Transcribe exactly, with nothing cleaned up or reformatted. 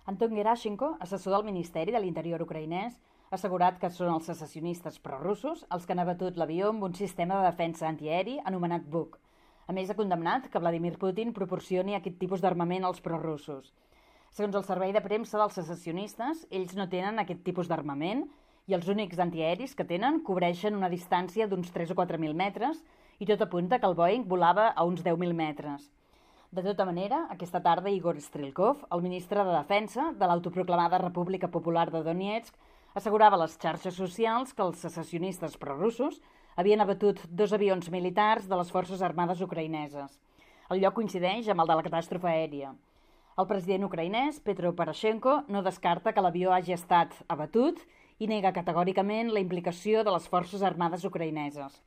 Anton Gerashenko, assessor del Ministeri de l'Interior ucraïnès, ha assegurat que són els secessionistes prorussos els que han abatut l'avió amb un sistema de defensa antiaeri anomenat Buk. A més, ha condemnat que Vladimir Putin proporcioni aquest tipus d'armament als prorussos. Segons el servei de premsa dels secessionistes, ells no tenen aquest tipus d'armament i els únics antiaeris que tenen cobreixen una distància d'uns tres o quatre mil metres i tot apunta que el Boeing volava a uns deu mil metres. De tota manera, aquesta tarda Igor Strelkov, el ministre de Defensa de l'autoproclamada República Popular de Donetsk, assegurava a les xarxes socials que els secessionistes prorussos havien abatut dos avions militars de les forces armades ucraïneses. El lloc coincideix amb el de la catàstrofe aèria. El president ucraïnès, Petro Poroshenko, no descarta que l'avió hagi estat abatut i nega categòricament la implicació de les forces armades ucraïneses.